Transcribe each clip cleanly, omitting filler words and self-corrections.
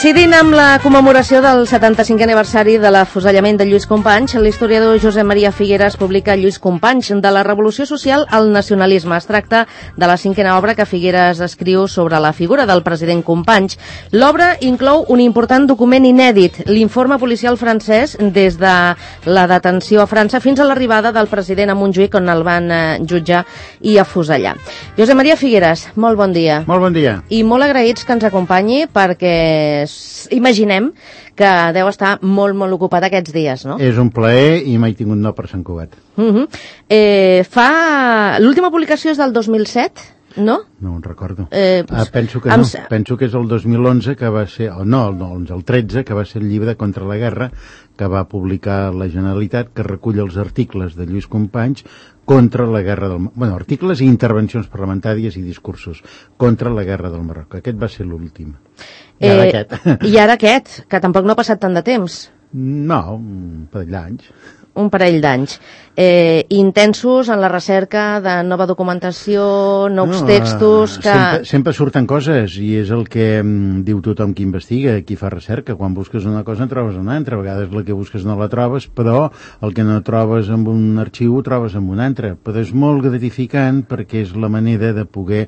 Coincidint amb la commemoració del 75è aniversari de l'afusellament de Lluís Companys, l'historiador Josep Maria Figueras publica Lluís Companys, de la revolució social al nacionalisme. Es tracta de la 5a obra que Figueras escriu sobre la figura del president Companys. L'obra inclou un important document inèdit, l'informe policial francès des de la detenció a França fins a l'arribada del president a Montjuïc, on el van jutjar i afusellar. Josep Maria Figueras, molt bon dia. Molt bon dia. I molt agraïts que ens acompanyi perquè imaginem que deu estar molt, molt ocupat aquests dies, no? És un plaer i m'he tingut no per Sant Cugat. L'última publicació és del 2007, no? No en recordo. Penso que no. Penso que és el 2011 que va ser, el 13, que va ser el llibre Contra la Guerra, que va publicar la Generalitat, que recull els articles de Lluís Companys contra la guerra del Marroc. Bueno, articles i intervencions parlamentàries i discursos contra la guerra del Marroc. Aquest va ser l'últim. I ara aquest, que tampoc no ha passat tant de temps. No, un parell d'anys. Un parell d'anys. Intensos en la recerca de nova documentació, nous textos... Sempre surten coses i és el que diu tothom qui investiga, qui fa recerca. Quan busques una cosa en trobes una altra. A vegades la que busques no la trobes, però el que no trobes en un arxiu ho trobes en un altre. Però és molt gratificant perquè és la manera de poder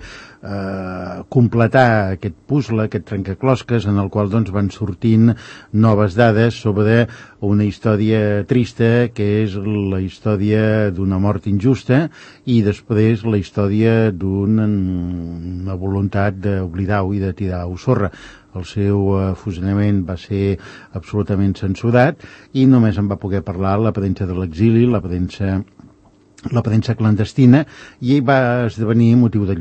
completar aquest puzzle, aquest trencaclosques, en el qual doncs, van sortint noves dades sobre una història trista, que és la història d'una mort injusta, i després la història d'una voluntat d'oblidar-ho i de tirar-ho sorra. El seu afusellament va ser absolutament censurat i només en va poder parlar la premsa de l'exili, la premsa clandestina, i va esdevenir motiu de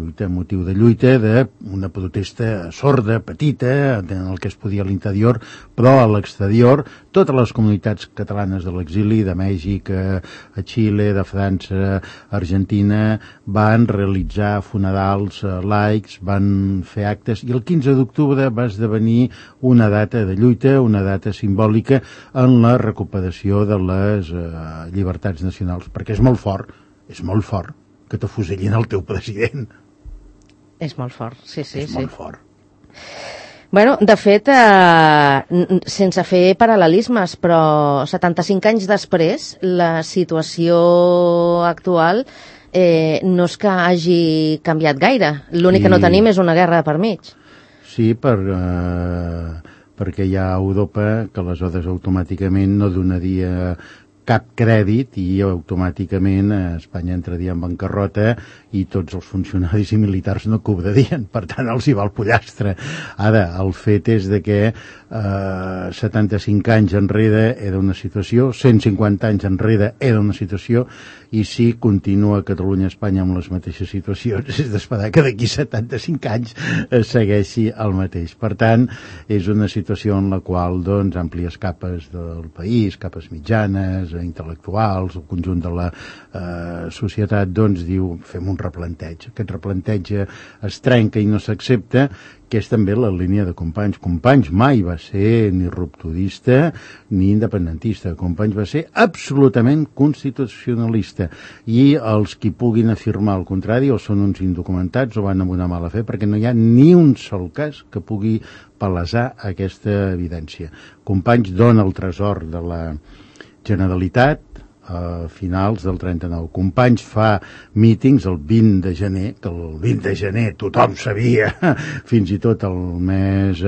lluita d'una protesta sorda, petita, en el que es podia a l'interior, però a l'exterior totes les comunitats catalanes de l'exili, de Mèxic, a Xile, de França, Argentina, van realitzar funerals laics, van fer actes, i el 15 d'octubre va esdevenir una data de lluita, una data simbòlica en la recuperació de les llibertats nacionals, perquè és molt fort que t'afusellin el teu president. És molt fort, sí. Molt fort. Bueno, de fet, sense fer paral·lelismes, però 75 anys després, la situació actual no és que hagi canviat gaire. L'únic que no tenim és una guerra per mig. Sí, perquè hi ha Europa que aleshores automàticament no donaria cap crèdit i automàticament Espanya entraria en bancarrota i tots els funcionaris i militars no cobrarien, per tant els hi va el pollastre. Ara, el fet és de que 75 anys enrere era una situació, 150 anys enrere era una situació, i si continua Catalunya i Espanya amb les mateixes situacions, és d'esperar que d'aquí 75 anys segueixi el mateix. Per tant, és una situació en la qual doncs, àmplies capes del país, capes mitjanes, intel·lectuals, el conjunt de la societat, doncs diu, fem un replanteig. Aquest replanteig es trenca i no s'accepta, que és també la línia de Companys. Companys mai va ser ni rupturista ni independentista. Companys va ser absolutament constitucionalista, i els qui puguin afirmar el contrari o són uns indocumentats o van amb una mala fe, perquè no hi ha ni un sol cas que pugui palesar aquesta evidència. Companys dona el tresor de la Generalitat a finals del 39. Companys fa mítings el 20 de gener, que el 20 de gener tothom sabia, fins i tot el més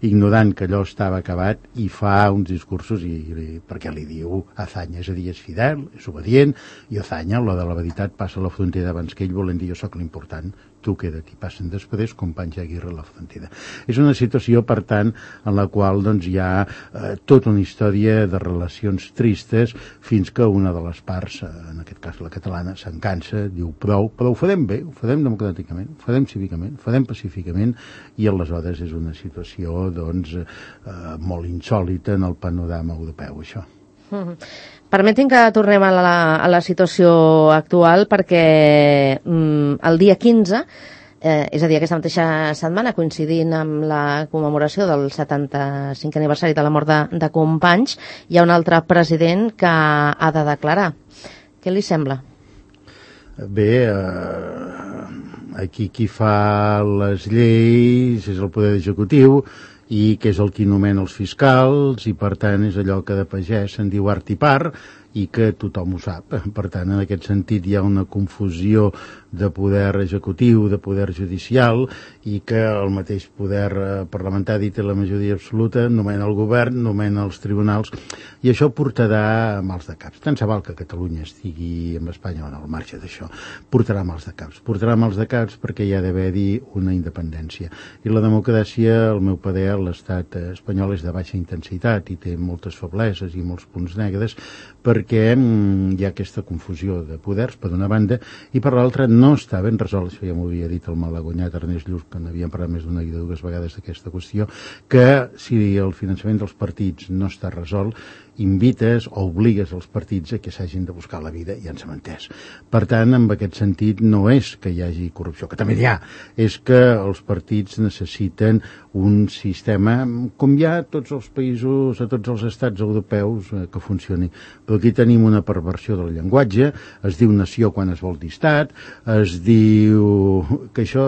ignorant, que allò estava acabat, i fa uns discursos perquè li diu Azaña, és a dir, és fidel, és obedient, i Azaña, la de la veritat, passa la frontera abans que ell, volent dir jo sóc l'important, tu queda't, i passen després Companys i Aguirre a la frontera. És una situació, per tant, en la qual doncs, hi ha tota una història de relacions tristes, fins que una de les parts, en aquest cas la catalana, se'n cansa, diu prou, però ho farem bé, ho farem democràticament, ho farem cívicament, ho farem pacíficament, i aleshores és una situació doncs, molt insòlita en el panorama europeu, això. Permetin que tornem a la situació actual, perquè el dia 15, és a dir, aquesta mateixa setmana, coincidint amb la commemoració del 75è aniversari de la mort de Companys, hi ha un altre president que ha de declarar. Què li sembla? Bé, aquí qui fa les lleis és el poder executiu, i que és el qui nomena els fiscals, i per tant és allò que de pagès se'n diu art i part, i que tothom ho sap. Per tant, en aquest sentit hi ha una confusió de poder executiu, de poder judicial, i que el mateix poder parlamentari té la majoria absoluta, nomena el govern, nomena els tribunals, i això portarà mals de caps. Tant se val que Catalunya estigui amb Espanya o no, al marge d'això. Portarà mals de caps. Portarà mals de caps perquè hi ha d'haver-hi una independència. I la democràcia, al meu parer, l'estat espanyol és de baixa intensitat i té moltes febleses i molts punts negres, perquè hi ha aquesta confusió de poders, per una banda, i per l'altra no està ben resolt, això ja m'ho havia dit el malagonyat Ernest Lluch, que n'havíem parlat més d'una i de dues vegades d'aquesta qüestió, que si el finançament dels partits no està resolt, invites o obligues els partits a que s'hagin de buscar la vida, ja ens hem entès. Per tant, en aquest sentit, no és que hi hagi corrupció, que també n'hi ha, és que els partits necessiten un sistema, com hi ha a tots els països, a tots els estats europeus, que funcioni. Però aquí tenim una perversió del llenguatge, es diu nació quan es vol dir estat, es diu que això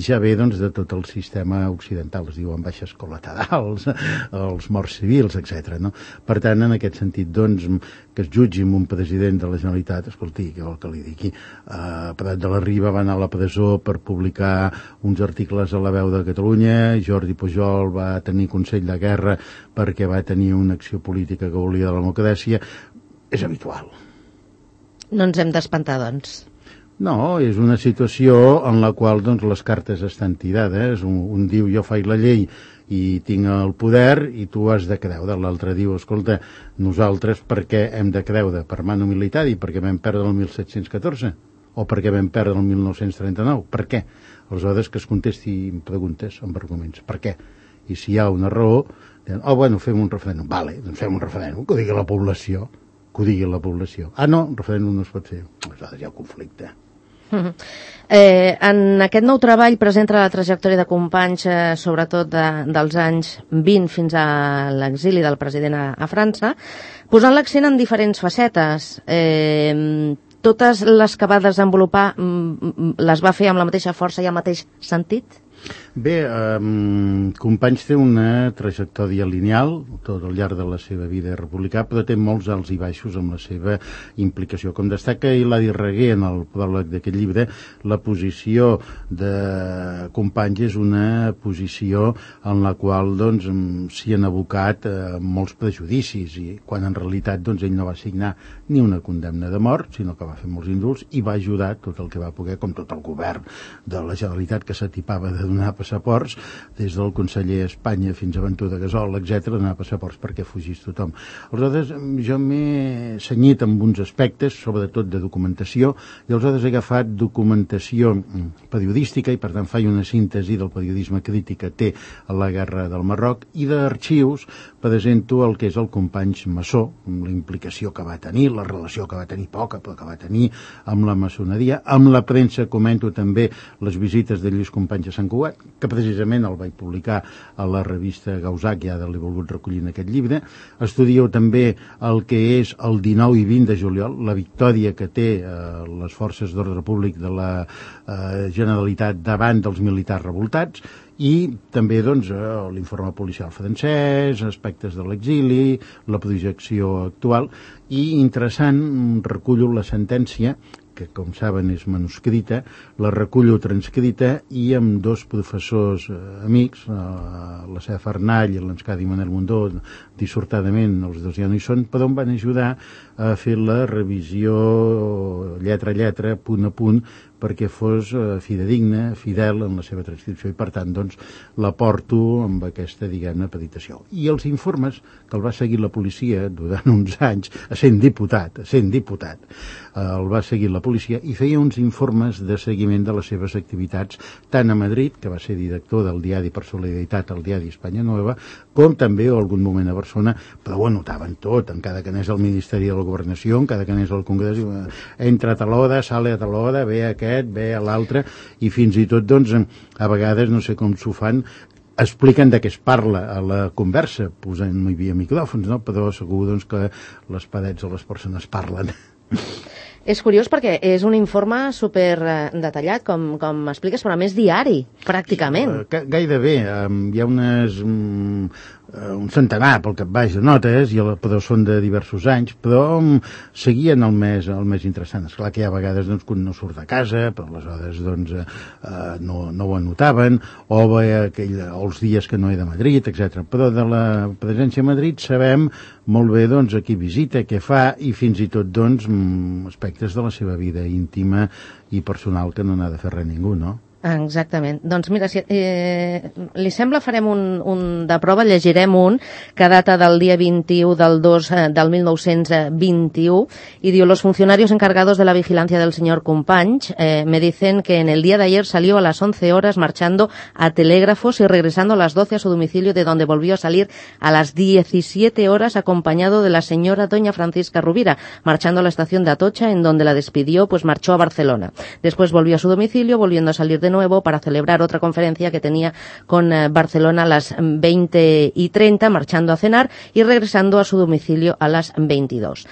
ja ve doncs, de tot el sistema occidental, es diuen baixes col·laterals, els morts civils, etc. No? Per tant, en aquest sentit, doncs, que es jutgi amb un president de la Generalitat, escolti, què vol que li digui? Prat de la Riba va anar a la presó per publicar uns articles a La Veu de Catalunya, Jordi Pujol va tenir Consell de Guerra perquè va tenir una acció política que volia de la democràcia. És habitual. No ens hem d'espantar, doncs. No, és una situació en la qual doncs, les cartes estan tirades. Un diu, jo faig la llei i tinc el poder i tu has de creure. L'altre diu, escolta, nosaltres per què hem de creure? Per mano militar i perquè vam perdre el 1714? O perquè vam perdre el 1939? Per què? Aleshores que es contesti preguntes amb arguments. Per què? I si hi ha una raó, diuen, bueno, fem un referèndum. Vale, doncs fem un referèndum, que ho digui la població. Que ho digui la població. No, el referèndum no es pot fer. Aleshores hi ha conflicte. En aquest nou treball presenta la trajectòria de Companys, sobretot dels anys 20 fins a l'exili del president a França, posant l'accent en diferents facetes. Totes les que va desenvolupar les va fer amb la mateixa força i el mateix sentit? Bé, Companys té una trajectòria lineal tot al llarg de la seva vida republicà, però té molts alts i baixos amb la seva implicació. Com destaca Hilari Reguer en el pròleg d'aquest llibre, la posició de Companys és una posició en la qual doncs, s'hi han abocat molts prejudicis, i quan en realitat doncs, ell no va signar ni una condemna de mort, sinó que va fer molts indults i va ajudar tot el que va poder, com tot el govern de la Generalitat, que s'atipava de donar passaports, des del conseller a Espanya fins a Ventura Gasol, etc., donar passaports perquè fugís tothom. Aleshores, jo m'he cenyit amb uns aspectes, sobretot de documentació, i aleshores he agafat documentació periodística, i per tant faig una síntesi del periodisme crític que té a la guerra del Marroc, i d'arxius presento el que és el Companys maçó, la implicació que va tenir, la relació que va tenir, poca, però que va tenir amb la maçoneria. Amb la premsa comento també les visites de Lluís Companys a Sant Cugat, que precisament el vaig publicar a la revista Gausac, ja l'he volgut recollir en aquest llibre. Estudio també el que és el 19 i 20 de juliol, la victòria que té les forces d'ordre públic de la Generalitat davant dels militars revoltats, i també doncs, l'informe policial francès, aspectes de l'exili, la projecció actual, i interessant, recullo la sentència, que com saben és manuscrita, la recullo transcrita, i amb dos professors amics, la Cef Arnall i l'Enscadi Manel Mundó, dissortadament, els dos ja no hi són, però em van ajudar a fer la revisió lletra a lletra, punt a punt, perquè fos fidedigna, fidel en la seva transcripció, i per tant doncs, la porto amb aquesta, diguem-ne, peditació. I els informes que el va seguir la policia durant uns anys, sent diputat, el va seguir la policia i feia uns informes de seguiment de les seves activitats, tant a Madrid, que va ser director del diari Per Solidaritat, el diari Espanya Nueva, com també en algun moment a Barcelona, però ho anotaven tot, encara que anés al Ministeri de la Governació, encara que anés al Congrés, entra a tal hora, sale a tal hora, ve aquest, ve a l'altre, i fins i tot, doncs, a vegades, no sé com s'ho fan, expliquen de què es parla a la conversa, posant, no hi havia micròfons, no? Però segur doncs, que les parets o les persones parlen. És curiós perquè és un informe super detallat, com expliques, però a més diari, pràcticament. Gairebé. Hi ha un centenar pel cap baix de notes, però són de diversos anys, però seguien el més interessant. Esclar que hi ha vegades doncs, que no surt de casa, però aleshores doncs, no ho anotaven, o els dies que no he de Madrid, etc. Però de la presència a Madrid sabem molt bé doncs, a qui visita, què fa, i fins i tot doncs, aspectes de la seva vida íntima i personal que no n'ha de fer res ningú, no? Exactament. Doncs mira, si li sembla, farem un de prova, llegirem un que data del dia 21 del 2 del 1921 y diu: los funcionarios encargados de la vigilancia del señor Companys me dicen que en el día de ayer salió a las 11 horas marchando a telégrafos y regresando a las 12 a su domicilio, de donde volvió a salir a las 17 horas acompañado de la señora doña Francisca Rubira, marchando a la estación de Atocha, en donde la despidió, pues marchó a Barcelona. Después volvió a su domicilio, volviendo a salir de nuevo para celebrar otra conferencia que tenía con Barcelona a las 20:30, marchando a cenar y regresando a su domicilio a las 22.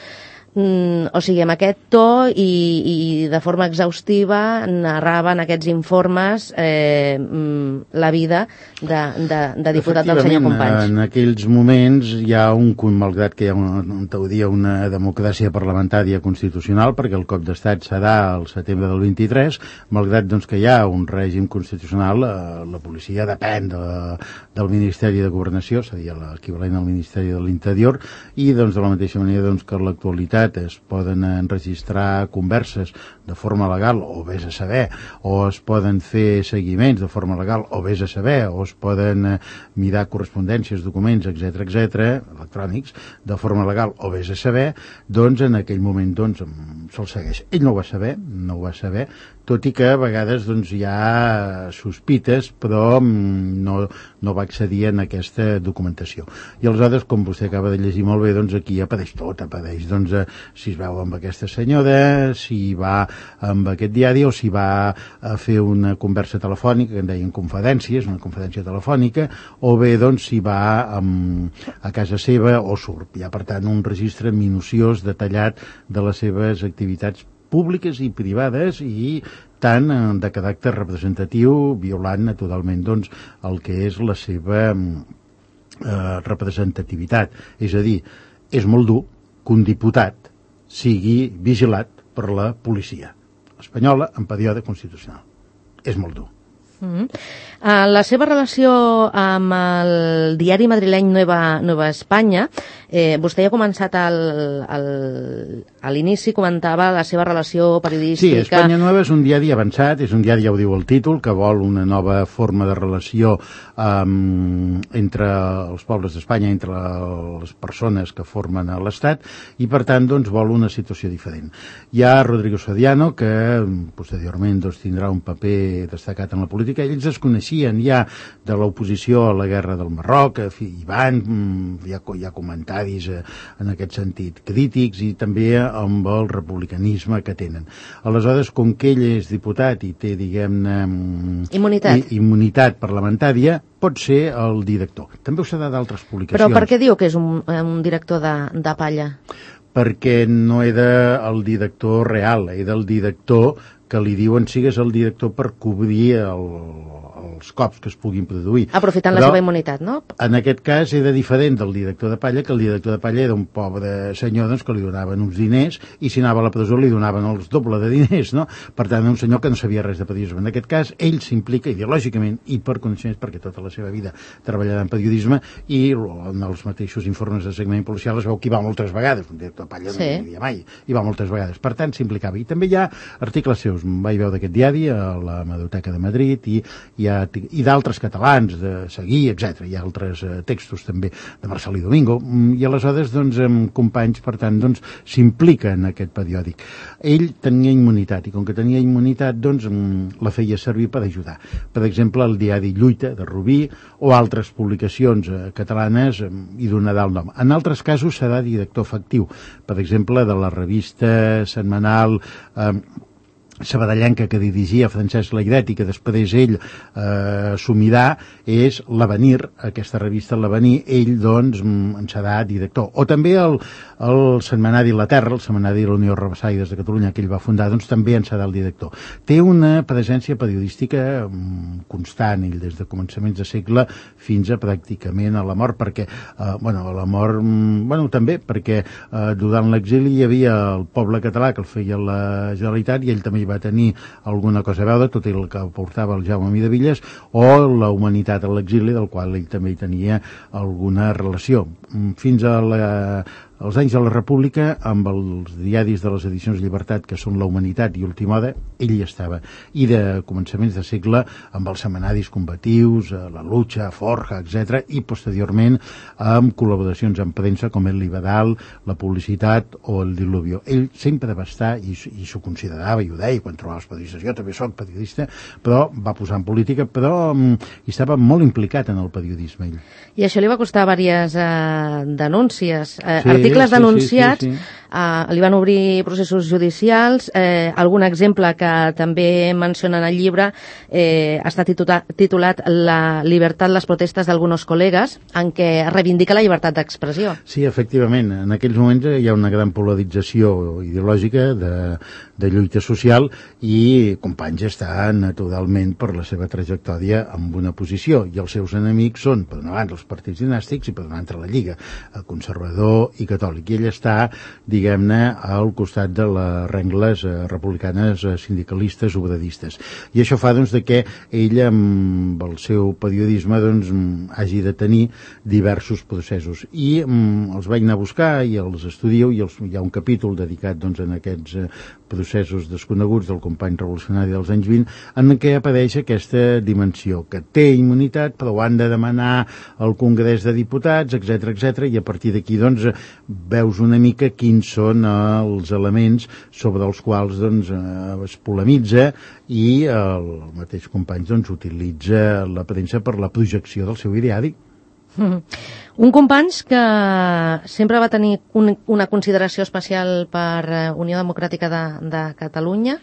O sigui, amb aquest to i de forma exhaustiva narraven aquests informes la vida de diputat del senyor Companys. En aquells moments hi ha malgrat que hi ha en teoria una democràcia parlamentària constitucional, perquè el cop d'estat serà al setembre del 23, malgrat doncs, que hi ha un règim constitucional, la policia depèn del Ministeri de Governació, seria l'equivalent al Ministeri de l'Interior, i doncs, de la mateixa manera doncs, que en l'actualitat es poden enregistrar converses de forma legal, o vés a saber, o es poden fer seguiments de forma legal, o vés a saber, o es poden mirar correspondències, documents, etc electrònics, de forma legal, o vés a saber, doncs en aquell moment doncs, se'l segueix. Ell no ho va saber, tot i que a vegades doncs, hi ha sospites, però no va accedir en aquesta documentació. I aleshores, com vostè acaba de llegir molt bé, doncs aquí apareix tot, doncs, si es veu amb aquesta senyora, si va amb aquest diari, o si va a fer una conversa telefònica, que en deien confidències, una confidència telefònica, o bé doncs si va a casa seva o surt. Hi ha, per tant, un registre minuciós, detallat de les seves activitats públiques i privades, i tant de caràcter representatiu, violant naturalment doncs, el que és la seva representativitat. És a dir, és molt dur que un diputat sigui vigilat per la policia espanyola en període constitucional. És molt dur. La seva relació amb el diari madrileny Nueva Espanya, vostè ja ha començat a l'inici, comentava la seva relació periodística. Sí, Espanya Nueva és un diari avançat, és un diari, ja ho diu el títol, que vol una nova forma de relació entre els pobles d'Espanya, entre les persones que formen l'Estat, i per tant doncs, vol una situació diferent. Hi ha Rodrigo Soriano, que posteriorment doncs, tindrà un paper destacat en la política. Ells es coneixien ja de l'oposició a la guerra del Marroc, hi ha comentaris en aquest sentit crítics, i també amb el republicanisme que tenen. Aleshores, com que ell és diputat i té, diguem-ne, immunitat parlamentària, pot ser el director. També ho serà d'altres publicacions. Però per què diu que és un director de palla? Perquè no era el director real, era el director que li diuen sigues el director per cobrir els cops que es puguin produir. Aprofitant la seva immunitat, no? En aquest cas era diferent del director de palla, que el director de palla era un pobre senyor doncs, que li donaven uns diners, i si anava a la presó li donaven els doble de diners, no? Per tant, un senyor que no sabia res de periodisme. En aquest cas, ell s'implica ideològicament i per coneixements, perquè tota la seva vida treballarà en periodisme, i en els mateixos informes de segment policial es veu que hi va moltes vegades, un director de palla no hi havia mai, hi va moltes vegades. Per tant, s'implicava. I també hi ha articles seus, vaig veure d'aquest diari a la Hemeroteca de Madrid, i d'altres catalans, de Seguí, etc. Hi ha altres textos també de Marcelí Domingo, i aleshores doncs, Companys, per tant, doncs, s'implica en aquest periòdic. Ell tenia immunitat, i com que tenia immunitat, doncs, la feia servir per ajudar. Per exemple, el diari Lluita, de Rubí, o altres publicacions catalanes, hi donarà el nom. En altres casos serà director efectiu, per exemple, de la revista setmanal sabadellenca que dirigia Francesc Layret i que després ell assumirà, és l'Avenir, aquesta revista l'Avenir, ell doncs en serà director. O també el setmanari La Terra, el setmanari de la Unió Rabassaires de Catalunya que ell va fundar, doncs també en serà el director. Té una presència periodística constant, ell des de començaments de segle fins a pràcticament a la mort, perquè a la mort, també perquè durant l'exili hi havia el poble català que el feia la Generalitat i ell també hi va tenir alguna cosa a veure, tot el que portava el Jaume Miravilles, o la Humanitat a l'exili, del qual ell també hi tenia alguna relació. Fins als anys de la República, amb els diaris de les edicions Llibertat, que són La Humanitat i Última Hora, ell hi estava. I de començaments de segle, amb els setmanaris combatius, La Lucha, Forja, etc. I posteriorment amb col·laboracions amb premsa com El Liberal, La Publicitat o El Diluvio. Ell sempre va estar, i s'ho considerava, i ho deia quan trobava els periodistes, jo també soc periodista, però va posar en política, però hi estava molt implicat en el periodisme, ell. I això li va costar diverses denúncies, articles denunciats, sí. Li van obrir processos judicials, algun exemple que també menciona en el llibre està titulat La libertad, les protestes d'alguns col·legues, en què reivindica la llibertat d'expressió. Sí, efectivament, en aquells moments hi ha una gran polarització ideològica de lluita social i Companys està naturalment per la seva trajectòria amb una posició, i els seus enemics són, per una banda, els partits dinàstics i per una altra la Lliga, conservador i catòlic, i ell està, diguem-ne, al costat de les rengles republicanes, sindicalistes, obradistes. I això fa, doncs, que ell, amb el seu periodisme, doncs, hagi de tenir diversos processos. I els vaig anar a buscar i els estudio, i hi ha un capítol dedicat, doncs, en aquests processos desconeguts del company revolucionari dels anys 20, en què apareix aquesta dimensió, que té immunitat, però ho han de demanar al Congrés de Diputats, etc, i a partir d'aquí, doncs, veus una mica quins són els elements sobre els quals, doncs, es polemitza, i el mateix company, doncs, utilitza la premsa per la projecció del seu ideari. Un Companys que sempre va tenir una consideració especial per Unió Democràtica de Catalunya.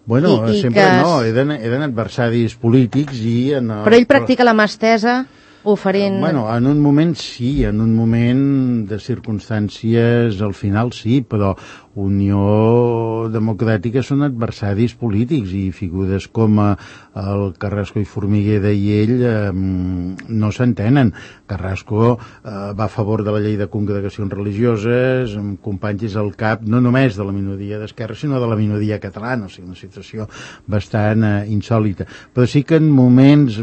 Bueno, sempre no, eren adversaris polítics i... Però ell practica la mà estesa oferint... Bueno, en un moment sí, en un moment de circumstàncies al final sí, però Unió Democràtica són adversaris polítics i figures com el Carrasco i Formiguera i ell no s'entenen. Carrasco va a favor de la llei de congregacions religioses, Companys és el cap no només de la minoria d'esquerra, sinó de la minoria catalana, o sigui, una situació bastant insòlita. Però sí que en moments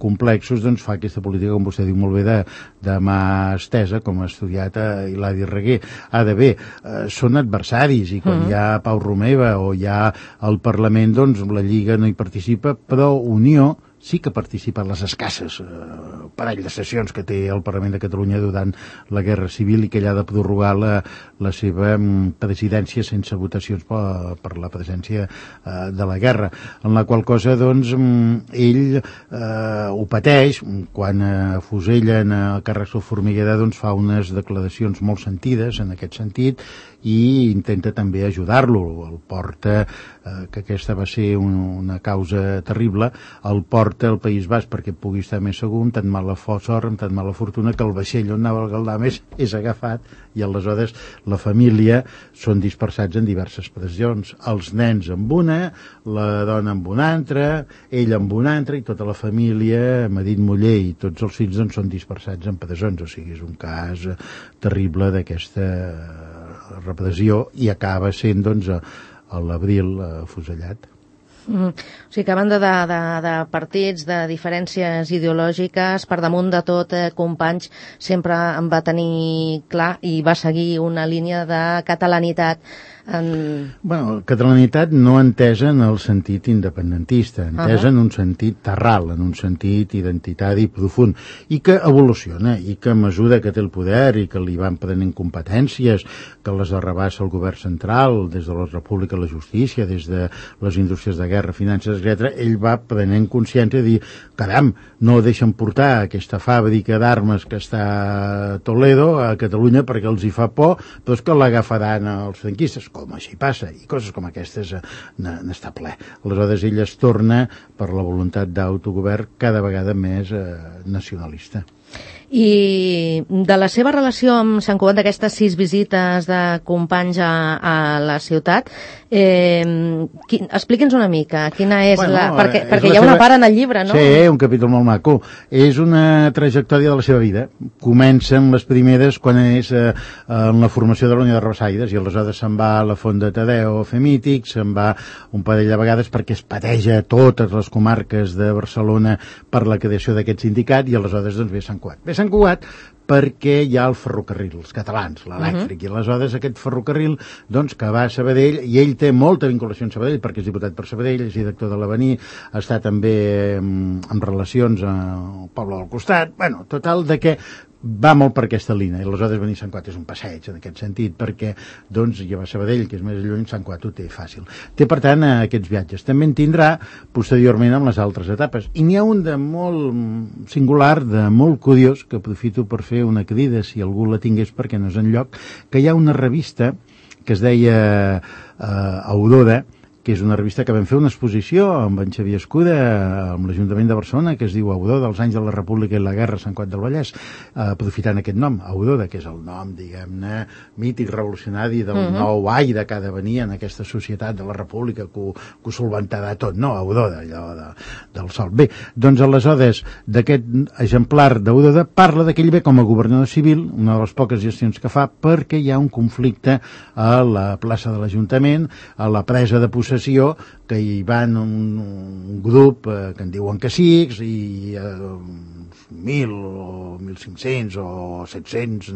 complexos doncs, fa aquesta política, com vostè diu molt bé, de mà estesa, com ha estudiat Hilari Reguer. Ara bé, són adversaris, i quan hi ha Pau Romeva o hi ha el Parlament, doncs la Lliga no hi participa, però Unió sí que participa en les escasses parell de sessions que té el Parlament de Catalunya durant la Guerra Civil i que ella ha de prorrogar la seva presidència sense votacions per la presència de la guerra, en la qual cosa doncs ell ho pateix quan afusellen a Carrasco Formiguera, doncs fa unes declaracions molt sentides en aquest sentit i intenta també ajudar-lo, el porta, que aquesta va ser una causa terrible, el porta al País Basc perquè pugui estar més segur, amb tan mala sort, amb tan mala fortuna, que el vaixell on anava el Galdames és agafat i aleshores la família són dispersats en diverses pressions, els nens amb una, la dona amb una altra, ell amb una altra, i tota la família, Marit Muller i tots els fills, doncs, són dispersats en presons, o sigui, és un cas terrible d'aquesta repressió, i acaba sent, doncs, a l'abril afusellat. O sigui que a banda de partits, de diferències ideològiques, per damunt de tot, Companys sempre en va tenir clar i va seguir una línia de catalanitat. Bueno, catalanitat no entesa en el sentit independentista, entesa en un sentit terral, en un sentit identitari profund, i que evoluciona, i que a mesura que té el poder i que li van prenent competències, que les arrabassa el govern central, des de la República a la Justícia, des de les indústries de guerra guerra, finances, etc., ell va prenent consciència de dir, caram, no deixen portar aquesta fàbrica d'armes que està a Toledo, a Catalunya, perquè els hi fa por, però és que l'agafaran els franquistes, com així passa, i coses com aquestes n'està ple. Aleshores ell es torna, per la voluntat d'autogovern, cada vegada més nacionalista. I de la seva relació amb Sant Cugat, d'aquestes 6 visites de Companys a la ciutat, expliqui'ns una mica quina és perquè hi ha una part en el llibre, no? Sí, un capítol molt maco. És una trajectòria de la seva vida. Comencen les primeres quan és en la formació de la Unió de Rabassaires, i aleshores se'n va a la Font de Tadeu a fer mítics, se'n va un parell de vegades perquè es pateja totes les comarques de Barcelona per la creació d'aquest sindicat, i aleshores doncs ve Sant Cugat. Ve Sant Cugat perquè hi ha el ferrocarril, els catalans, l'elèctric, i aleshores aquest ferrocarril, doncs, que va a Sabadell, i ell té molta vinculació amb Sabadell, perquè és diputat per Sabadell, és director de l'Avenir, està també en relacions al poble del costat, bueno, total, de que va molt per aquesta línia, i aleshores venir a Sant Cugat és un passeig en aquest sentit, perquè doncs ja va a Sabadell, que és més lluny, Sant Cugat ho té fàcil. Té, per tant, aquests viatges. També en tindrà posteriorment amb les altres etapes. I n'hi ha un de molt singular, de molt curiós, que aprofito per fer una crida, si algú la tingués perquè no és enlloc, que hi ha una revista que es deia Aurora, que és una revista que vam fer una exposició amb en Xavier Escuda, amb l'Ajuntament de Barcelona, que es diu Aurora, dels anys de la República i la Guerra a Sant Cugat del Vallès, aprofitant aquest nom, Aurora, que és el nom, diguem-ne, mític, revolucionari del nou aire que ha de venir en aquesta societat de la República, que ho solventarà tot, no? Aurora, allò del sol. Bé, doncs aleshores, d'aquest exemplar d'Aurora, parla de que ell ve com a governador civil, una de les poques gestions que fa, perquè hi ha un conflicte a la plaça de l'Ajuntament, a la presa de possessió, que hi van un grup que en diuen cacics, i 1.000 o 1.500 o 700,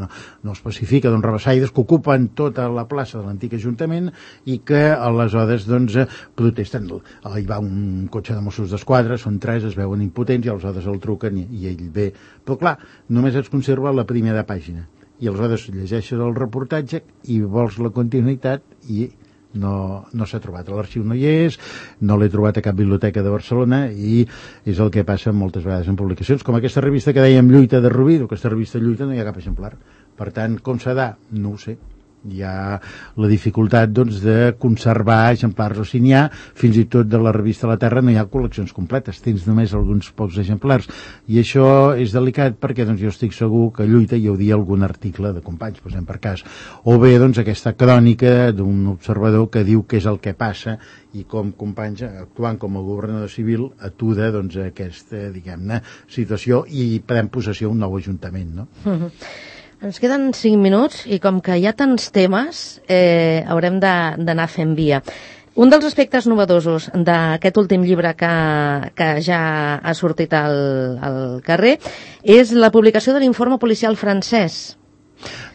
no especifica, doncs rabassaires, que ocupen tota la plaça de l'antic Ajuntament i que aleshores doncs protesten. Hi va un cotxe de Mossos d'Esquadra, són 3, es veuen impotents i aleshores el truquen i ell ve. Però clar, només es conserva la primera pàgina i aleshores llegeixes el reportatge i vols la continuïtat i no s'ha trobat. A l'arxiu no hi és, no l'he trobat a cap biblioteca de Barcelona, i és el que passa moltes vegades en publicacions, com aquesta revista que dèiem Lluita de Rubí, aquesta revista Lluita no hi ha cap exemplar. Per tant, com s'ha de? No ho sé. Hi ha la dificultat doncs, de conservar exemplars, o si n'hi ha, fins i tot de la revista La Terra no hi ha col·leccions completes, tens només alguns pocs exemplars, i això és delicat perquè doncs, jo estic segur que Lluita hi hauria algun article de Companys, posem per cas, o bé doncs, aquesta crònica d'un observador que diu què és el que passa i com Companys, actuant com a governador civil, atura doncs, aquesta, diguem-ne, situació i pren possessió un nou ajuntament, no? Ens queden 5 minuts i com que hi ha tants temes, haurem d'anar fent via. Un dels aspectes novedosos d'aquest últim llibre que ja ha sortit al carrer és la publicació de l'informe policial francès.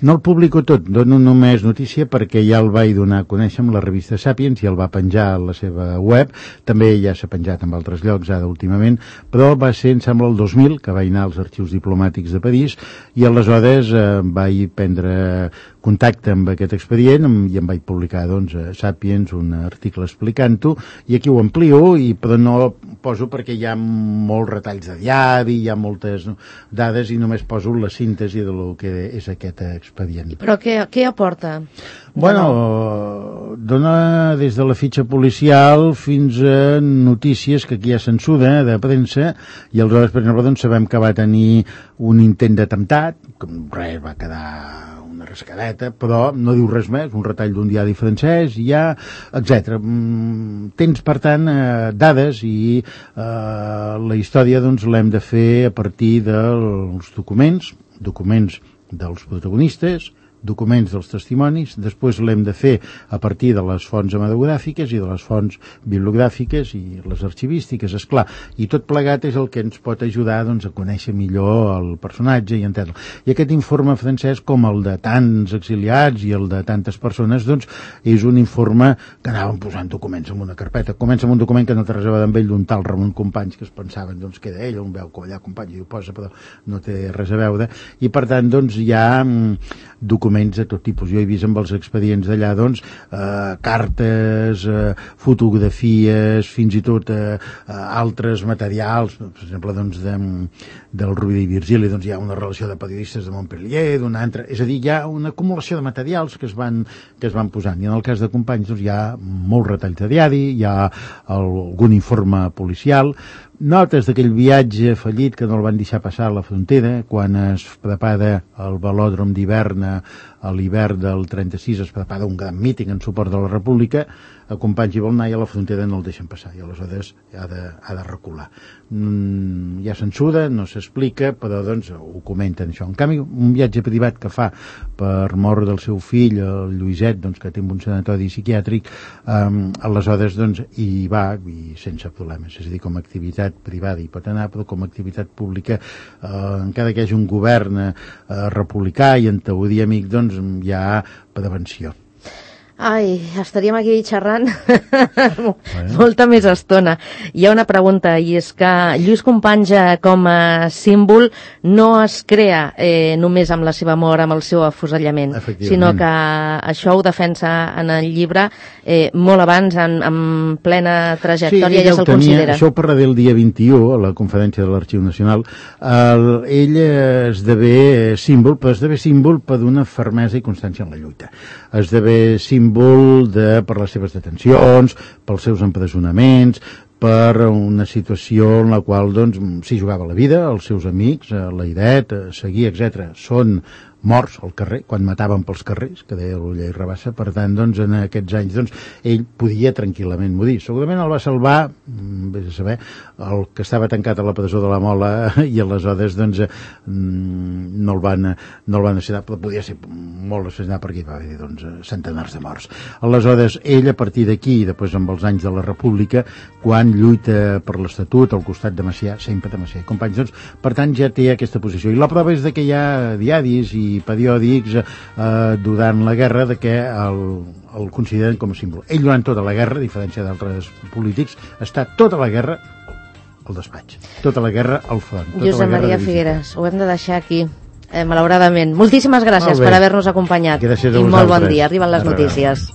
No el publico tot, dono només notícia perquè ja el vaig donar a conèixer amb la revista Sapiens i el va penjar a la seva web, també ja s'ha penjat en altres llocs ara últimament, però va ser, em sembla, el 2000 que vaig anar als arxius diplomàtics de París i aleshores vaig prendre contacte amb aquest expedient i em vaig publicar doncs, a Sapiens un article explicant-ho i aquí ho amplio, però no poso perquè hi ha molts retalls de diari, hi ha moltes dades i només poso la síntesi de lo que és aquest expedient. Però què aporta? Bueno, dona des de la fitxa policial fins a notícies que aquí hi ha censura de premsa i aleshores, per exemple, doncs, sabem que va tenir un intent d'atemptat, que res, va quedar una rascadeta, però no diu res més, un retall d'un diari francès, etc. Tens, per tant, dades i la història doncs, l'hem de fer a partir dels documents dels protagonistes, documents dels testimonis, després l'hem de fer a partir de les fonts hematogràfiques i de les fonts bibliogràfiques i les arxivístiques, esclar, i tot plegat és el que ens pot ajudar doncs, a conèixer millor el personatge i entendre-lo. I aquest informe francès, com el de tants exiliats i el de tantes persones, doncs, és un informe que anaven posant documents en una carpeta. Comença amb un document que no té res a veure amb ell, d'un tal Ramon Companys, que es pensaven doncs, que era ell, on veu que allà Companys i ho posa, però no té res a veure, i per tant doncs, hi ha documents documents de tot tipus. Jo he vist amb els expedients d'allà, doncs, cartes, fotografies, fins i tot altres materials, per exemple, doncs, del Rovira i Virgili, doncs hi ha una relació de periodistes de Montpellier, d'una altra, és a dir, hi ha una acumulació de materials que es van posant, i en el cas de Companys doncs, hi ha molts retalls de diari, hi ha algun informe policial, notes d'aquell viatge fallit que no el van deixar passar a la frontera, quan es prepara el velòdrom d'hivern a l'hivern del 36, es prepara un gran míting en suport de la República, a Companys i vol anar i a la frontera no el deixen passar, i aleshores ha de recular. Hi ha censura, no s'explica, però doncs ho comenten això. En canvi, un viatge privat que fa per mort del seu fill, el Lluïset, doncs, que té un sanatori psiquiàtric, aleshores doncs hi va i sense problemes, és a dir, com a activitat privada hi pot anar, però com a activitat pública, encara que hi hagi un govern republicà i en teoria amic, doncs hi ha prevenció. Ai, estaríem aquí xerrant molta més estona. Hi ha una pregunta, i és que Lluís Companys com a símbol no es crea només amb la seva mort, amb el seu afusellament, sinó que això ho defensa en el llibre molt abans, en plena trajectòria, ja se'l considera. Això ho parlaré el dia 21, a la conferència de l'Arxiu Nacional. Ell esdevé símbol, però esdevé símbol per una fermesa i constància en la lluita. Esdevé símbol per les seves detencions, pels seus empresonaments, per una situació en la qual doncs, s'hi jugava la vida, els seus amics, l'Airet, Seguí, etc. són morts al carrer, quan mataven pels carrers, que deia l'Ulla i Rabassa. Per tant, doncs, en aquests anys, doncs, ell podia tranquil·lament morir. Segurament el va salvar, vés a saber, el que estava tancat a la presó de la Mola, i aleshores, doncs, no el van assassinar, però podia ser molt assassinat perquè hi va haver, doncs, centenars de morts. Aleshores, ell, a partir d'aquí, després amb els anys de la República, quan lluita per l'Estatut al costat de Macià, sempre de Macià i Companys, doncs, per tant, ja té aquesta posició. I la prova és que hi ha diaris i periòdics durant la guerra de que el consideren com a símbol. Ell durant tota la guerra, a diferència d'altres polítics, està tota la guerra al despatx, tota la guerra al front. Josep Maria Figueras, ho hem de deixar aquí, malauradament. Moltíssimes gràcies per haver-nos acompanyat. Gràcies a vosaltres. I molt bon dia. Arriben les notícies.